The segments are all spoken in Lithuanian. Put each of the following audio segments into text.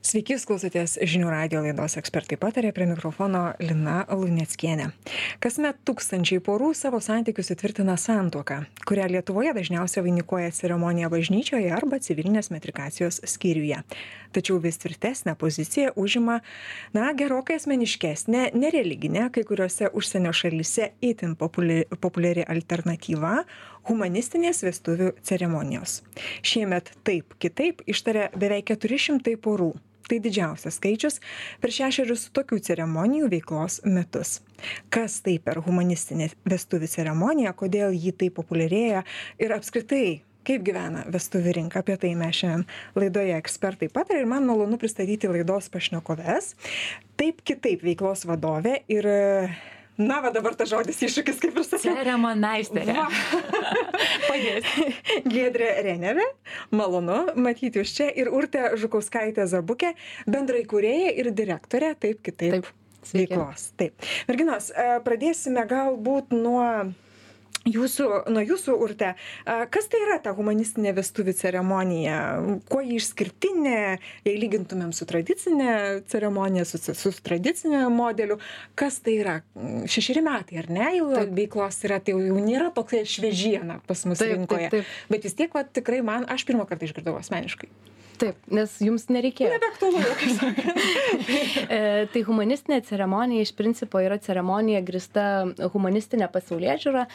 Sveiki, jūs klausotės žinių radijo laidos Ekspertai patarė, prie mikrofono Lina Luneckienė. Kasmet tūkstančiai porų savo santykius įtvirtina santuoką, kurią Lietuvoje dažniausiai vainikuoja ceremonija bažnyčioje arba civilinės metrikacijos skyriuje. Tačiau vis tvirtesnę poziciją užima, gerokai asmeniškesnė, nereliginė, kai kuriuose užsienio šalyse itin populiari alternatyva - humanistinės vestuvių ceremonijos. Šiemet taip kitaip ištarė beveik 400 porų. Tai didžiausias skaičius per 6 tokių ceremonijų veiklos metus. Kas tai per humanistinė vestuvių ceremonija, kodėl ji taip populiarėja ir apskritai kaip gyvena vestuvių rinka, apie tai mes šiandien laidoje Ekspertai patarė ir man malonu pristatyti laidos pašnekoves. Taip kitaip veiklos vadovė ir dabar tas žodis iššūkis, kaip ir sakiau. Ceremonmeisterė. Padės. Giedrė Renevė, malonu matyti jūs čia, ir Urtė Žukauskaitė-Zabukė, bendraįkūrėja ir direktorė taip kitaip veiklos. Taip. Merginos, pradėsime galbūt nuo jūsų, Urte. Kas tai yra ta humanistinė vestuvių ceremonija? Kuo ji išskirtinė, jei lygintumėm su tradicinė ceremonija, su tradicinė modeliu? Kas tai yra? 6 metai, ar ne? Jau veiklos yra, tai jau nėra tokia šviežiena pas mus rinkoje. Taip. Bet vis tiek, tikrai aš pirmą kartą išgirdau asmeniškai. Taip, nes jums nereikėjo. Nebeaktualu, kaip sakant. Tai humanistinė ceremonija iš principo yra ceremonija grįsta humanistinė pasaulėžiūra,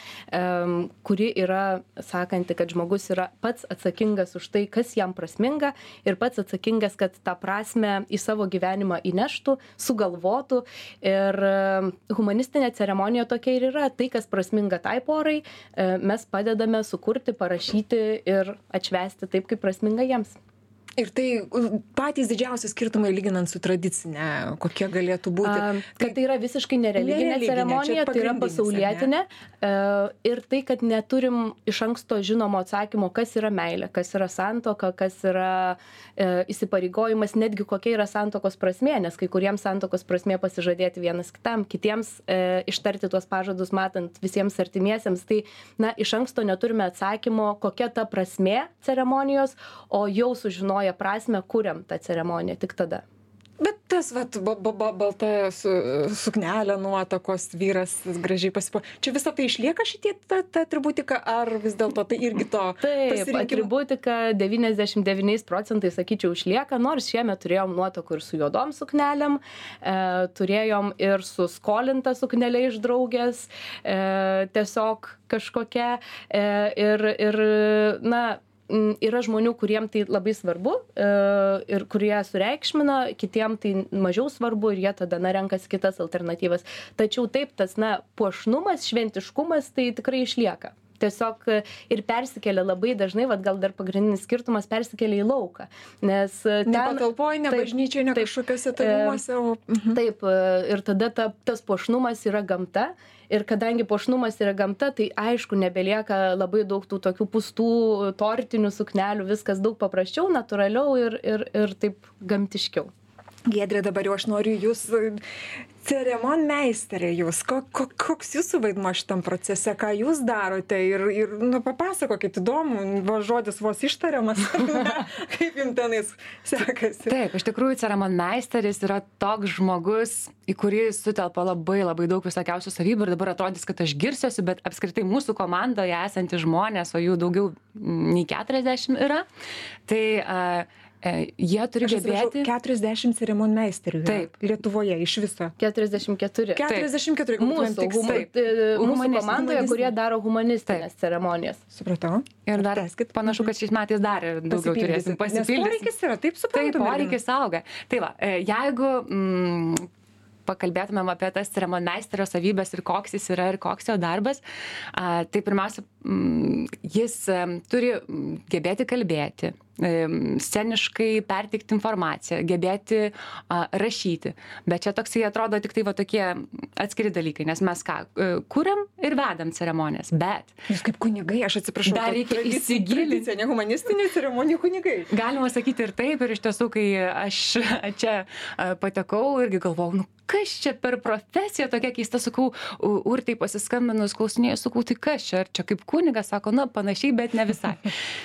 kuri yra sakanti, kad žmogus yra pats atsakingas už tai, kas jam prasminga ir pats atsakingas, kad tą prasmę į savo gyvenimą įneštų, sugalvotų. Ir humanistinė ceremonija tokia ir yra. Tai, kas prasminga tai porai, mes padedame sukurti, parašyti ir atšvęsti taip, kaip prasminga jiems. Ir tai patys didžiausi skirtumai lyginant su tradicinė, kokie galėtų būti? Kad tai yra visiškai nereliginė ceremonija, tai yra pasaulietinė. Ir tai, kad neturim iš anksto žinomo atsakymo, kas yra meilė, kas yra santuoka, kas yra įsipareigojimas, netgi kokia yra santuokos prasmė, nes kai kuriems santuokos prasmė pasižadėti vienas kitam, kitiems ištarti tuos pažadus matant visiems artimiesiems. Tai iš anksto neturime atsakymo, kokia ta prasmė ceremonijos, o jau sužinoję prasme, kuriam tą ceremoniją tik tada. Bet tas, balta suknelė, nuotakos, vyras gražiai čia visą tai išlieka šitie ta atributika, ar vis dėlto tai irgi to pasirinkimo? Taip, atributika 99%, sakyčiau, išlieka, nors šiemet turėjom nuotakų ir su juodom suknelėm, turėjom ir su skolinta suknelė iš draugės, tiesiog kažkokia, yra žmonių, kuriem tai labai svarbu ir kurie sureikšmina, kitiem tai mažiau svarbu ir jie tada renkasi kitas alternatyvas. Tačiau taip, tas puošnumas, šventiškumas tai tikrai išlieka. Tiesiog ir persikelia labai dažnai, gal dar pagrindinis skirtumas persikelia į lauką. Nes ne patalpoje, ne bažnyčioje, ne kažkokiuose tarimuose. Taip, ir tada tas puošnumas yra gamta. Ir kadangi puošnumas yra gamta, tai aišku, nebelieka labai daug tų tokių pustų tortinių suknelių, viskas daug paprasčiau, natūraliau ir taip gamtiškiau. Giedrė, dabar jau aš noriu jūs, ceremonmeisterė jūs, koks jūsų vaidmuo šitam procese, ką jūs darote ir papasakokit, įdomu, žodis vos ištariamas, kaip jums tenais sekasi. Taip, iš tikrųjų ceremonmeisteris yra toks žmogus, į kurį sutelpa labai daug visokiausių savybių ir dabar atrodys, kad aš girsiuosi, bet apskritai mūsų komandoje esantys žmonės, o jų daugiau nei 40 yra, tai jie turi gebėti 40 ceremonmeisterių. Taip. Lietuvoje iš viso. 44. 44. Mūsų komandoje, kurie daro humanistinės ceremonijas. Supratau. Ir dar panašu, kad šiais metais dar daugiau turėsim pasipildyti. Nes poreikis yra, taip suprantu. Taip, poreikis auga. Tai va, jeigu pakalbėtumėm apie tas ceremonmeisterio savybės ir koks jis yra ir koks jo darbas, tai pirmiausia, jis turi gebėti kalbėti, sceniškai perteikti informaciją, gebėti rašyti. Bet čia toksai atrodo tik tai tokie atskiri dalykai, nes mes kuriam ir vedam ceremonijas, bet... Jūs kaip kunigai, aš atsiprašau, dar reikia įsigilinti. Ne humanistinė ceremonija kunigai. Galima sakyti ir taip, ir iš tiesų, kai aš čia patekau, irgi galvojau, kas čia per profesija tokia keista, sakau, Urtei pasiskambinus, klausinėjau, sakau, tai kas čia, ar čia kaip kunigas, sako, panašiai, bet ne visai.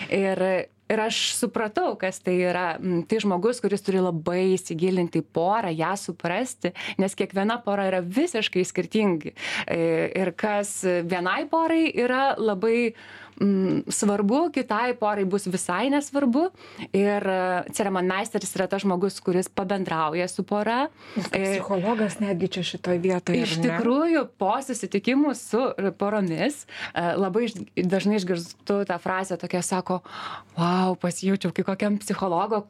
Ir ir aš supratau, kas tai yra. Tai žmogus, kuris turi labai įsigilinti į porą, ją suprasti, nes kiekviena pora yra visiškai skirtingi. Ir kas vienai porai yra labai svarbu, kitai porai bus visai nesvarbu. Ir ceremonmeisteris yra tas žmogus, kuris pabendrauja su pora. Psichologas netgi čia šitoje vietoje. Iš tikrųjų, po susitikimų su poromis labai dažnai išgirstu tą frazę tokia, sako, wow, pasijaučiau kaip kokiam psichologo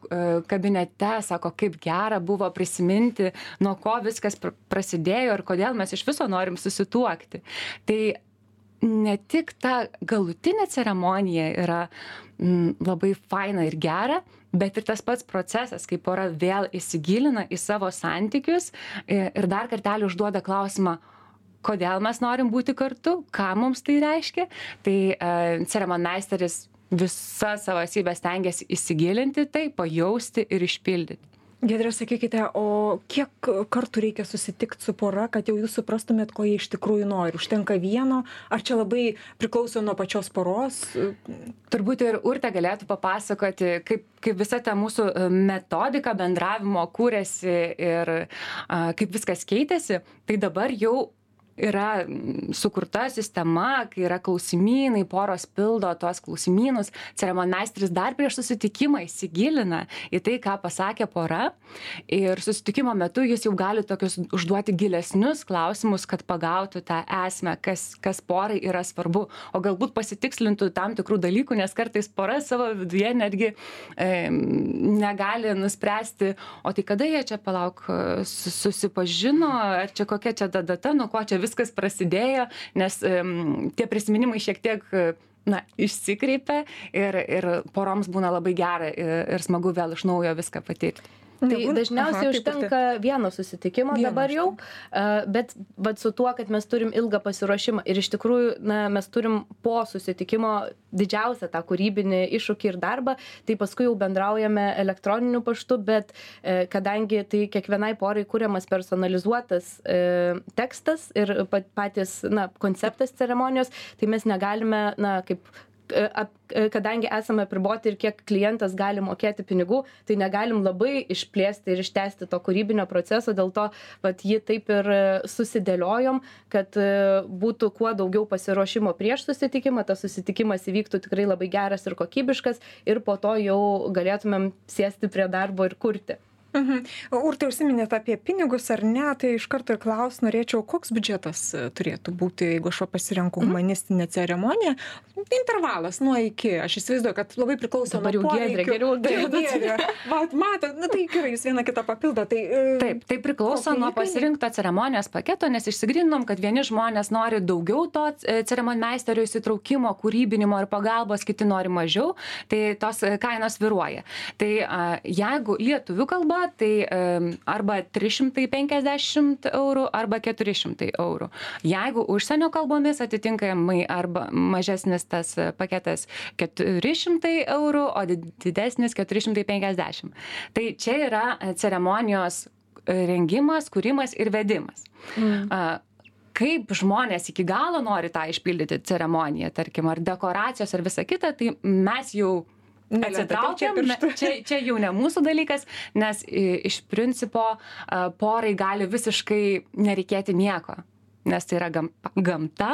kabinete, sako, kaip gera buvo prisiminti, nuo ko viskas prasidėjo ir kodėl mes iš viso norim susituokti. Tai ne tik ta galutinė ceremonija yra labai faina ir gera, bet ir tas pats procesas, kai pora vėl įsigilina į savo santykius ir dar kartelį užduoda klausimą, kodėl mes norim būti kartu, ką mums tai reiškia. Tai ceremonmeisteris visą savo esybę stengiasi įsigilinti tai, pajausti ir išpildyti. Giedre, sakykite, o kiek kartų reikia susitikti su pora, kad jau jūs suprastumėt, ko jie iš tikrųjų nori? Užtenka vieno? Ar čia labai priklauso nuo pačios poros? Turbūt ir Urtė galėtų papasakoti, kaip visa ta mūsų metodika bendravimo kūrėsi ir kaip viskas keitėsi. Tai dabar jau yra sukurta sistema, kai yra klausimynai, poros pildo tuos klausimynus, ceremonmeisteris dar prieš susitikimą įsigilina į tai, ką pasakė pora, ir susitikimo metu jis jau gali tokius užduoti gilesnius klausimus, kad pagautų tą esmę, kas porai yra svarbu, o galbūt pasitikslintų tam tikrų dalykų, nes kartais pora savo viduje netgi negali nuspręsti, o tai kada jie čia susipažino, ar čia kokia čia data, nuo ko čia viskas prasidėjo, nes tie prisiminimai šiek tiek išsikreipia ir poroms būna labai gera ir smagu vėl iš naujo viską patirti. Tai dažniausiai užtenka vieno susitikimo dabar jau, bet su tuo, kad mes turim ilgą pasiruošimą ir iš tikrųjų mes turim po susitikimo didžiausią tą kūrybinį iššūkį ir darbą, tai paskui jau bendraujame elektroniniu paštu, bet kadangi tai kiekvienai porai kuriamas personalizuotas tekstas ir patys konceptas ceremonijos, tai mes negalime, kadangi esame apriboti ir kiek klientas gali mokėti pinigų, tai negalim labai išplėsti ir ištęsti to kūrybinio proceso, dėl to jį taip ir susidėliojom, kad būtų kuo daugiau pasiruošimo prieš susitikimą, tas susitikimas įvyktų tikrai labai geras ir kokybiškas ir po to jau galėtumėm sėsti prie darbo ir kurti. Urte, užsiminėte apie pinigus ar ne, tai iš karto ir norėčiau, koks biudžetas turėtų būti, jeigu aš pasirenku humanistinę ceremoniją, intervalas nuo iki, aš įsivaizduoju, kad labai priklauso nuo poreikių. Giedrė, matot, tai gerai, jūs vieną kitą papildo. Taip, tai priklauso nuo pasirinkto ceremonijos paketo, nes išsigryninom, kad vieni žmonės nori daugiau to ceremonmeisterio įsitraukimo, kūrybinimo ir pagalbos, kiti nori mažiau, tai tos kainos svyruoja. Tai jeigu lietuvių kalba, tai arba 350 eurų, arba 400 eurų. Jeigu užsienio kalbomis atitinkamai arba mažesnis tas paketas 400 eurų, o didesnis 450. Tai čia yra ceremonijos rengimas, kūrimas ir vedimas. Kaip žmonės iki galo nori tą išpildyti ceremoniją, tarkim, ar dekoracijos, ar visa kita, tai mes jau atsitraukiam, čia jau ne mūsų dalykas, nes iš principo porai gali visiškai nereikėti nieko. Nes tai yra gamta,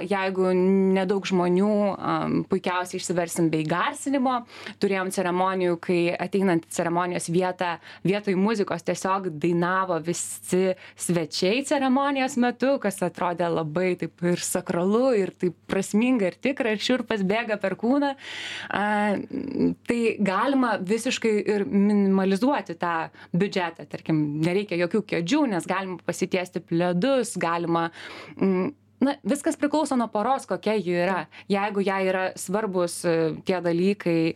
jeigu nedaug žmonių, puikiausiai išsiversim bei garsinimo. Turėjom ceremonijų, kai ateinant ceremonijos vietoj muzikos tiesiog dainavo visi svečiai ceremonijos metu, kas atrodė labai taip ir sakralu, ir taip prasminga, ir tikra, ir šiurpas bėga per kūną. Tai galima visiškai ir minimalizuoti tą biudžetą. Tarkim, nereikia jokių kėdžių, nes galima pasitiesti pledus, galima, viskas priklauso nuo poros, kokia ji yra. Jeigu jai yra svarbus tie dalykai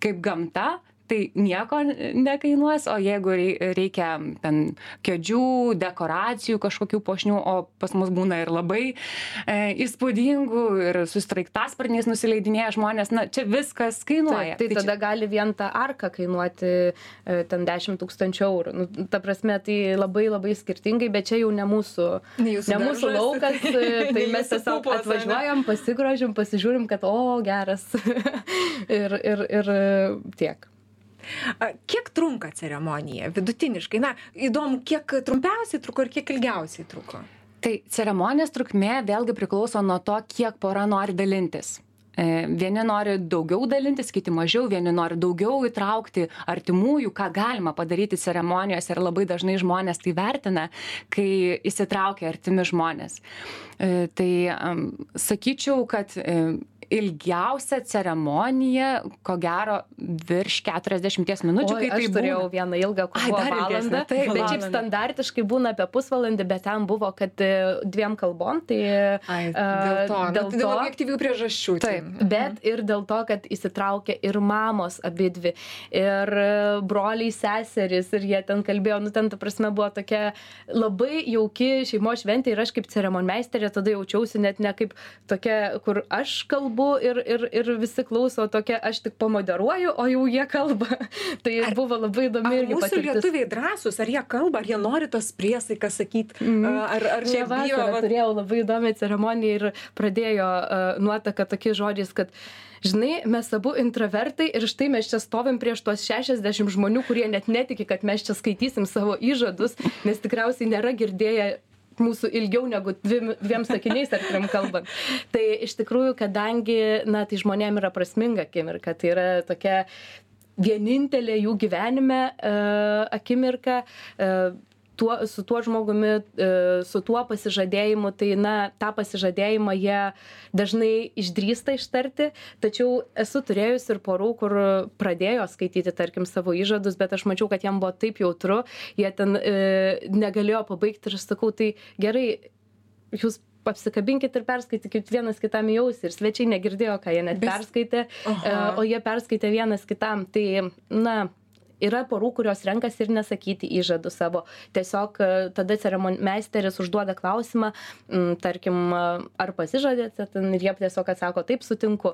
kaip gamta, tai nieko nekainuos, o jeigu reikia ten kėdžių, dekoracijų, kažkokių puošnių, o pas mus būna ir labai įspūdingų ir su sraigtasparniais nusileidinėja žmonės, na, čia viskas kainuoja. Tai tada gali vien ta arka kainuoti ten 10 000 eurų. Nu, ta prasme, tai labai labai skirtingai, bet čia jau ne mūsų laukas, tai mes tiesiog atvažiuojam, pasigrožim, pasižiūrim, kad geras ir tiek. Kiek trunka ceremonija vidutiniškai? Na, įdomu, kiek trumpiausiai truko ir kiek ilgiausiai truko? Tai ceremonijos trukmė vėlgi priklauso nuo to, kiek pora nori dalintis. Vieni nori daugiau dalintis, kiti mažiau, vieni nori daugiau įtraukti artimųjų, ką galima padaryti ceremonijose ir labai dažnai žmonės tai vertina, kai įsitraukia artimi žmonės. Tai sakyčiau, kad ilgiausia ceremonija, ko gero, virš 40 minučių, kai tai aš turėjau vieną ilgą, kur buvo valandą, bet šiaip standartiškai būna apie pusvalandį, bet ten buvo, kad 2 kalbom, tai dėl objektyvių priežasčių. Taip, bet ir dėl to, kad įsitraukė ir mamos abidvi, ir broliai seserys, ir jie ten kalbėjo, nu ten, ta prasme, buvo tokia labai jauki šeimos šventė ir aš kaip ceremonmeisterė tada jaučiausi net ne kaip tokia, kur aš kalbu, ir visi klauso tokia, aš tik pamoderuoju, o jau jie kalba. Tai buvo labai įdomi irgi patirtis. Ar mūsų lietuviai drąsūs, ar jie kalba, ar jie nori tos priesaikas sakyti, ar čia bijo? Turėjau labai įdomią ceremoniją ir pradėjo nuotaka tokiais žodžiais, kad žinai, mes abu intravertai ir štai mes čia stovim prieš tuos 60 žmonių, kurie net netiki, kad mes čia skaitysim savo įžadus, nes tikriausiai nėra girdėję mūsų ilgiau negu 2 sakiniais ar 3 kalbant. Tai iš tikrųjų, kadangi, na, tai žmonėm yra prasminga akimirka, tai yra tokia vienintelė jų gyvenime akimirka, su tuo žmogumi, su tuo pasižadėjimu, tai, na, tą pasižadėjimą jie dažnai išdrįsta ištarti, tačiau esu turėjus ir porų, kur pradėjo skaityti, tarkim, savo įžadus, bet aš mačiau, kad jam buvo taip jautru, jie ten negalėjo pabaigti ir aš sakau, tai gerai, jūs apsikabinkit ir perskaitykit vienas kitam į ausį ir svečiai negirdėjo, ką jie net perskaitė, o jie perskaitė vienas kitam, tai, na, yra porų, kurios renkasi ir nesakyti įžadų savo. Tiesiog tada ceremonmeisteris užduoda klausimą, tarkim, ar pasižadėte, ir jie tiesiog atsako, taip, sutinku.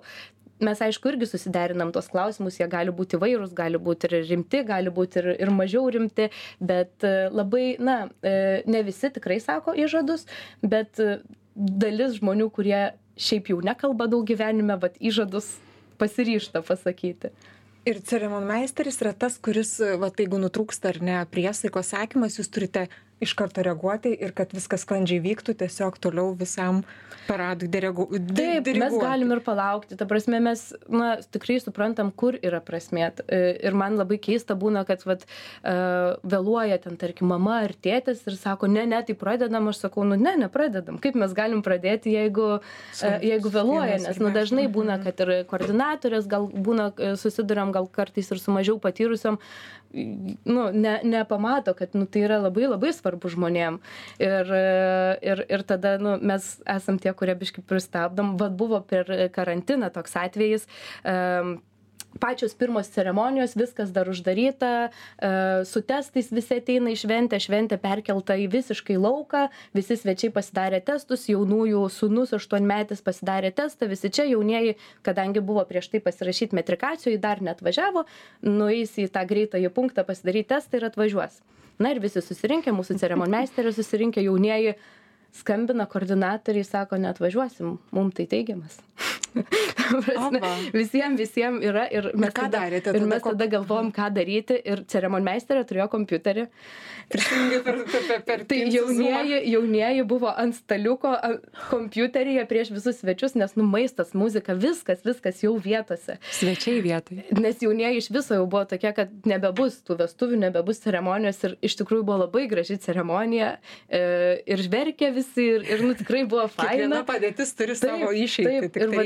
Mes, aišku, irgi susiderinam tos klausimus, jie gali būti įvairūs, gali būti ir rimti, gali būti ir mažiau rimti, bet labai, na, ne visi tikrai sako įžadus, bet dalis žmonių, kurie šiaip jau nekalba daug gyvenime, bet įžadus pasiryžta pasakyti. Ir ceremonmeisteris yra tas, kuris, jeigu nutrūksta ar ne priesaikos sakymas, jūs turite iš karto reaguoti ir kad viskas sklandžiai vyktų, tiesiog toliau visam paradui diriguoti. Taip, mes galim ir palaukti. Ta prasme, mes, na, tikrai suprantam, kur yra prasmė. Ir man labai keista būna, kad vėluoja ten, tarkim, mama ar tėtis ir sako, ne, tai pradedam. Aš sakau, nepradedam. Kaip mes galim pradėti, jeigu vėluoja? Nes, dažnai būna, kad ir koordinatorės gal būna susiduriam gal kartais ir su mažiau patyrusiom, nepamato, kad tai yra labai labai svarbu žmonėm. Ir tada mes esam tie, kurie biškai pristabdom. Buvo per karantiną toks atvejis. Pačios pirmos ceremonijos, viskas dar uždaryta, su testais visi ateina į šventę perkelta į visiškai lauką, visi svečiai pasidarė testus, jaunųjų sūnus 8-metis pasidarė testą, visi čia jaunieji, kadangi buvo prieš tai pasirašyti metrikacijų, dar neatvažiavo, nueis į tą greitąjį punktą pasidaryti testą ir atvažiuos. Na ir visi susirinkę, mūsų ceremonmeisteris susirinkę, jaunieji skambina koordinatoriai, sako, neatvažiuosim, mums tai teigiamas. Visiems yra ir mes tada galvom, ką daryti ir ceremonmeisterė turėjo kompiuterį. Tai jaunieji buvo ant staliuko kompiuteryje prieš visus svečius, nes maistas, muzika, viskas jau vietose. Svečiai vietoje. Nes jaunieji iš viso jau buvo tokie, kad nebebus tų vestuvių, nebebus ceremonijos ir iš tikrųjų buvo labai graži ceremonija ir žverkė visi ir tikrai buvo faina. Kiekviena padėtis turi savo išeitį.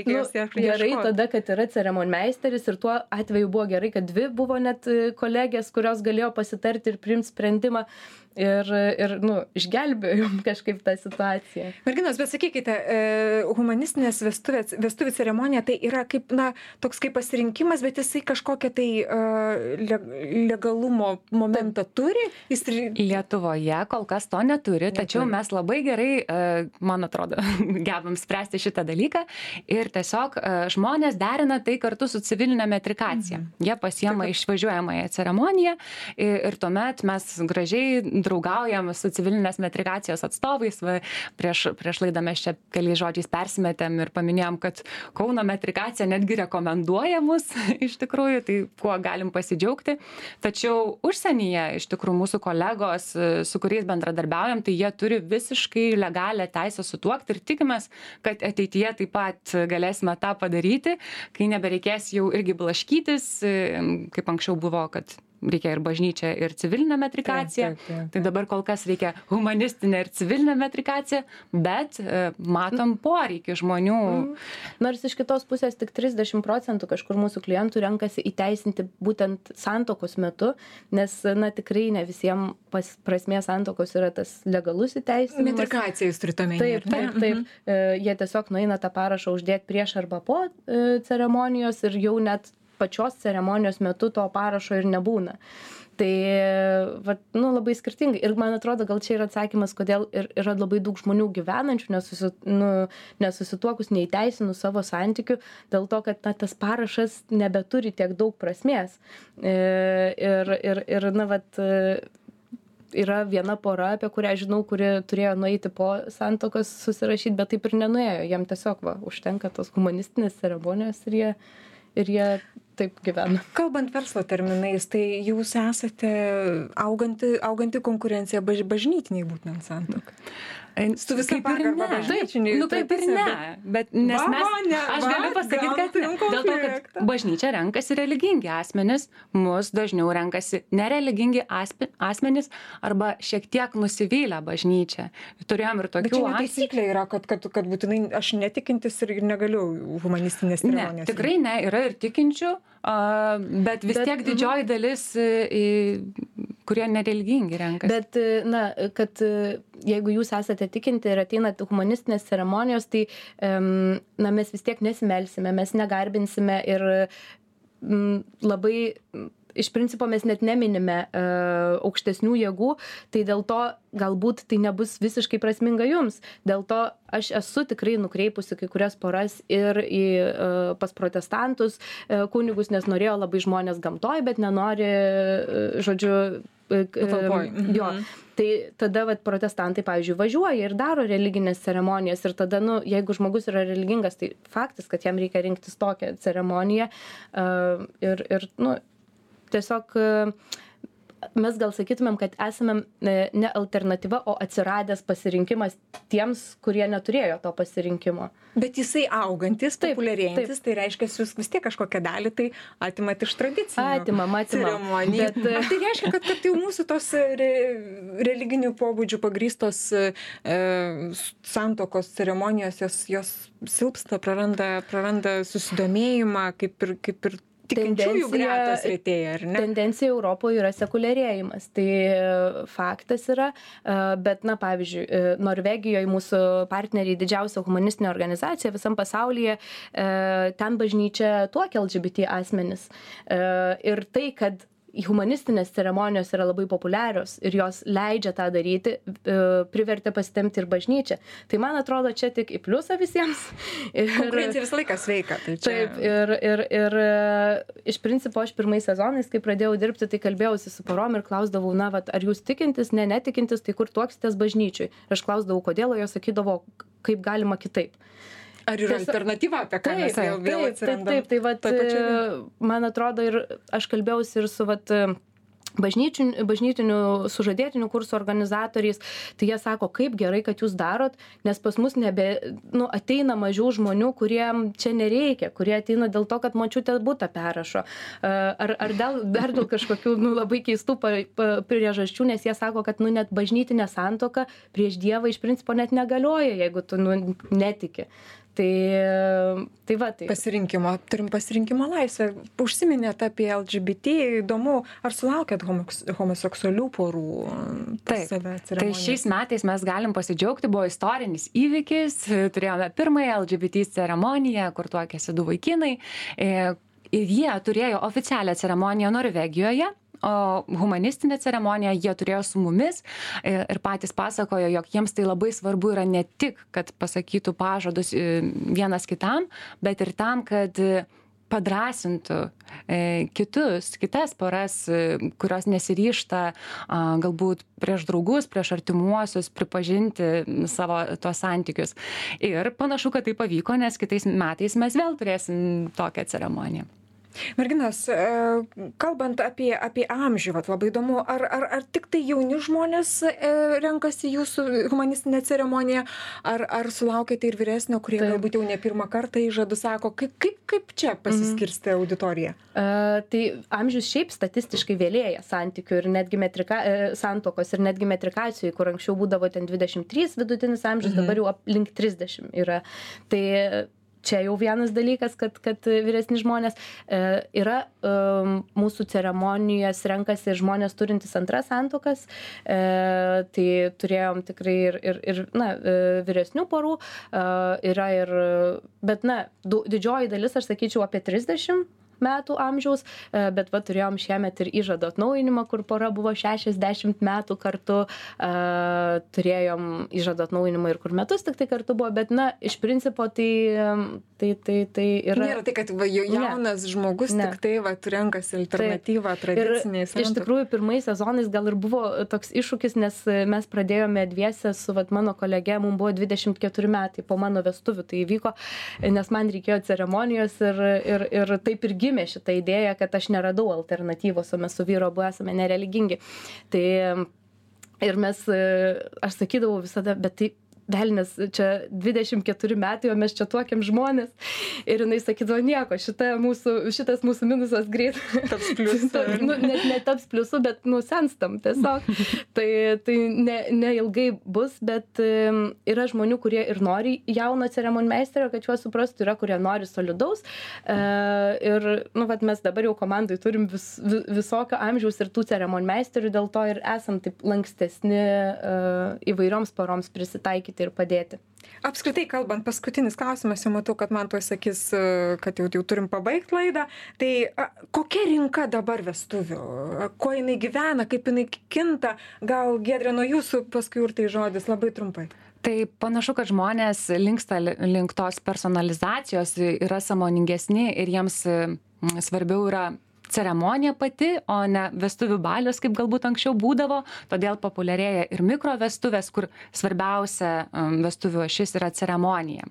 Gerai tada, kad yra ceremonmeisteris ir tuo atveju buvo gerai, kad 2 buvo net kolegės, kurios galėjo pasitarti ir priimti sprendimą. ir išgelbėjom kažkaip tą situaciją. Merginos, bet sakykite, humanistinės vestuvių ceremonija tai yra kaip, toks kaip pasirinkimas, bet jisai kažkokią tai legalumo momentą turi? Lietuvoje kol kas to neturi, tačiau mes labai gerai, man atrodo, gebam spręsti šitą dalyką ir tiesiog žmonės derina tai kartu su civilinė metrikacija. Jie pasiema išvažiuojamąją ceremoniją ir tuomet mes gražiai draugaujam su civilinės metrikacijos atstovais. Prieš laidą mes čia keliais žodžiais persimetėm ir paminėjom, kad Kauno metrikacija netgi rekomenduoja mus iš tikrųjų, tai kuo galim pasidžiaugti. Tačiau užsienyje iš tikrųjų mūsų kolegos, su kuriais bendradarbiaujam, tai jie turi visiškai legalią teisę sutuokti ir tikimės, kad ateityje taip pat galėsime tą padaryti, kai nebereikės jau irgi blaškytis, kaip anksčiau buvo, kad reikia ir bažnyčią, ir civilinę metrikaciją. Tai dabar kol kas reikia humanistinę ir civilinę metrikaciją, bet matom poreikį žmonių. Nors iš kitos pusės tik 30% kažkur mūsų klientų renkasi įteisinti būtent santuokos metu, nes, tikrai ne visiems prasmė santuokos yra tas legalus įteisinimas. Metrikacija jūs turite omenyje. Taip. Jie tiesiog nueina tą parašą uždėti prieš arba po ceremonijos ir jau net pačios ceremonijos metu to parašo ir nebūna. Tai labai skirtingai. Ir man atrodo, gal čia yra atsakymas, kodėl yra labai daug žmonių gyvenančių, nesusituokus, neįteisinus savo santykių, dėl to, kad tas parašas nebeturi tiek daug prasmės. Yra viena pora, apie kurią žinau, kuri turėjo nueiti po santuokos susirašyti, bet taip ir nenuėjo. Jam tiesiog užtenka tos humanistinės ceremonijos ir jie taip gyvena. Kalbant verslo terminais, tai jūs esate auganti konkurencija bažnytiniai būtent santuokai. Su visą pagarbą bažnyčiniai. Taip ir ne. Bet nes aš galiu pasakyti, kad dėl to, kad bažnyčia renkasi religingi asmenys, mus dažniau renkasi nereligingi asmenys arba šiek tiek nusivylę bažnyčią. Turėjom ir tokių atvejų. Bet čia netaisyklė yra, kad būtinai aš netikintis ir negaliu humanistinės ceremonijos. Ne, tikrai ne, yra ir tikinčių, bet vis tiek didžioji dalis, kurie nereligingi renkasi. Bet, kad jeigu jūs esate tikinti ir ateinate humanistinės ceremonijos, tai mes vis tiek nesimelsime, mes negarbinsime ir labai iš principo mes net neminime aukštesnių jėgų, tai dėl to galbūt tai nebus visiškai prasminga jums. Dėl to aš esu tikrai nukreipusi kai kurias poras ir pas protestantus kunigus, nes norėjo labai žmonės gamtoj, bet nenori, jo. Tai tada protestantai, pavyzdžiui, važiuoja ir daro religinės ceremonijas ir tada, jeigu žmogus yra religingas, tai faktas, kad jam reikia rinktis tokią ceremoniją ir tiesiog mes gal sakytumėm, kad esame ne alternatyva, o atsiradęs pasirinkimas tiems, kurie neturėjo to pasirinkimo. Bet jisai augantis, populiarėjantis, tai reiškia, jūs vis tiek kažkokią dalį tai atimat iš tradicinių ceremonijų. Bet tai reiškia, kad jau mūsų tos religinių pobūdžių pagrįstos santuokos ceremonijos, jos silpsta, praranda susidomėjimą, kaip ir tikinčiųjų gretos retėja, ar ne? Tendencija Europoje yra sekuliarėjimas. Tai faktas yra, bet, pavyzdžiui, Norvegijoje mūsų partneriai didžiausia humanistinė organizacija visam pasaulyje, ten bažnyčia tuokia LGBT asmenis. Ir tai, kad humanistinės ceremonijos yra labai populiarios ir jos leidžia tą daryti, privertė pasitempti ir bažnyčią. Tai man atrodo, čia tik į pliusą visiems. Konkurencija visą laiką sveika. Tai čia... Taip, ir iš principo aš pirmais sezonais, kai pradėjau dirbti, tai kalbėjausi su porom ir klausdavau, ar jūs tikintis, netikintis, tai kur tuoksitės bažnyčiui. Aš klausdavau, kodėl, o jos sakydavo, kaip galima kitaip. Ar yra alternatyva, apie ką mes vėl atsirandam? Taip, man atrodo, ir aš kalbėjausi ir su bažnytinių sužadėtinių kursų organizatoriais, tai jie sako, kaip gerai, kad jūs darot, nes pas mus ateina mažiau žmonių, kuriem čia nereikia, kurie ateina dėl to, kad močiutė butą perrašo. Ar dar dėl kažkokių labai keistų priežasčių, nes jie sako, kad net bažnytinė santuoka prieš Dievą iš principo net negalioja, jeigu tu netiki. Tai va, tai. Turim pasirinkimo laisvę. Užsiminėt apie LGBT, įdomu, ar sulaukėt homoseksualių porų? Taip, tai šiais metais mes galim pasidžiaugti, buvo istorinis įvykis, turėjome pirmąją LGBT ceremoniją, kur tuokėsi 2 vaikinai, ir jie turėjo oficialią ceremoniją Norvegijoje, o humanistinę ceremoniją jie turėjo su mumis ir patys pasakojo, jog jiems tai labai svarbu yra ne tik, kad pasakytų pažadus vienas kitam, bet ir tam, kad padrąsintų kitas poras, kurios nesiryžta galbūt prieš draugus, prieš artimuosius pripažinti savo tuos santykius. Ir panašu, kad tai pavyko, nes kitais metais mes vėl turėsim tokią ceremoniją. Merginos, kalbant apie amžių, labai įdomu, ar tik tai jauni žmonės renkasi jūsų humanistinę ceremoniją, ar sulaukėte ir vyresnio, kurie galbūt jau ne pirmą kartą įžadų sako, kaip čia pasiskirstė auditorija? Tai amžius šiaip statistiškai vėlėja santykių ir netgi santokos ir netgi metrikacijų, kur anksčiau būdavo ten 23 vidutinis amžius, dabar jau link 30 yra. Tai čia jau vienas dalykas, kad vyresni žmonės yra mūsų ceremonijas renkasi žmonės turintys antras santuokas, tai turėjom tikrai ir vyresnių porų, yra ir, bet didžioji dalis, aš sakyčiau, apie 30 metų amžiaus, bet turėjom šiemet ir įžado atnaujinimą, kur pora buvo 60 metų kartu, turėjom įžado atnaujinimą ir kur metus tik tai kartu buvo, bet iš principo tai yra. Nėra tai, kad jaunas žmogus tik tai renkasi alternatyvą tradiciniai santuokai. Iš tikrųjų, pirmais sezonais gal ir buvo toks iššūkis, nes mes pradėjome dviese su mano kolege, mums buvo 24 metai po mano vestuvių, tai įvyko, nes man reikėjo ceremonijos ir taip ir gimė šitą idėją, kad aš neradau alternatyvos, o mes su vyru abu esame nereligingi. Tai ir aš sakydavau visada, bet tai velnias, čia 24 metai, o mes čia tuokiam žmonės. Ir jinai sakydavo, nieko, šitas mūsų minusas greit taps pliusu. Net netaps pliusu, bet senstam tiesiog. Tai neilgai bus, bet yra žmonių, kurie ir nori jauno ceremonmeisterio, kad juos suprastų, yra, kurie nori solidaus. Ir mes dabar jau komandai turim visokio amžiaus ir tų ceremonmeisterių, dėl to ir esam taip lankstesni įvairioms poroms prisitaikyti ir padėti. Apskritai kalbant, paskutinis klausimas, jau matau, kad man tuoj sakys, kad jau turim pabaigti laidą. Tai kokia rinka dabar vestuvių? Ko jinai gyvena, kaip jinai kinta? Gal Giedrė nuo jūsų paskui ir tai žodis labai trumpai. Tai panašu, kad žmonės linksta link tos personalizacijos, yra sąmoningesni ir jiems svarbiau yra ceremonija pati, o ne vestuvių balius, kaip galbūt anksčiau būdavo. Todėl populiarėja ir mikrovestuvės, kur svarbiausia vestuvių ašis yra ceremonija.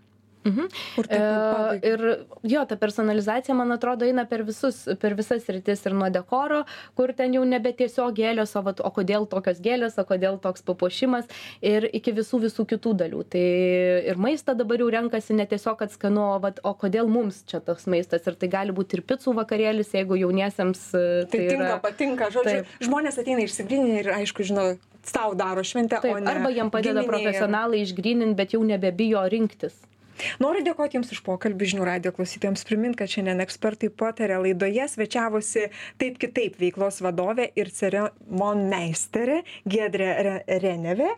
Ir jo, ta personalizacija, man atrodo, eina per visas sritis ir nuo dekoro, kur ten jau nebe tiesiog gėlės, o kodėl tokios gėlės, o kodėl toks papuošimas, ir iki visų kitų dalių. Tai ir maistą dabar jau renkasi ne tiesiog, kad skanu, o kodėl mums čia toks maistas. Ir tai gali būti ir picų vakarėlis, jeigu jauniesiems tai patinka. Žodžiu, žmonės ateina išsigryninti ir, aišku, žino, sau daro šventę, o ne arba jiem padeda profesionalai išgryninti, bet jau nebebijo rinktis. Noriu dėkoti Jums už pokalbį, Žinių radijo klausytojams primint, kad šiandien ekspertai pataria laidoje svečiavosi Taip kitaip veiklos vadovė ir ceremonmeisterė Giedrė Renevė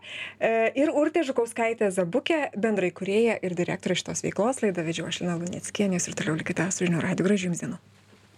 ir Urtė Žukauskaitė Zabukė, bendraįkūrėja ir direktorė šitos veiklos. Laidą vedžiau aš, Lina Luneckienė, ir toliau likite su Žinių radiju. Gražių Jums dienų.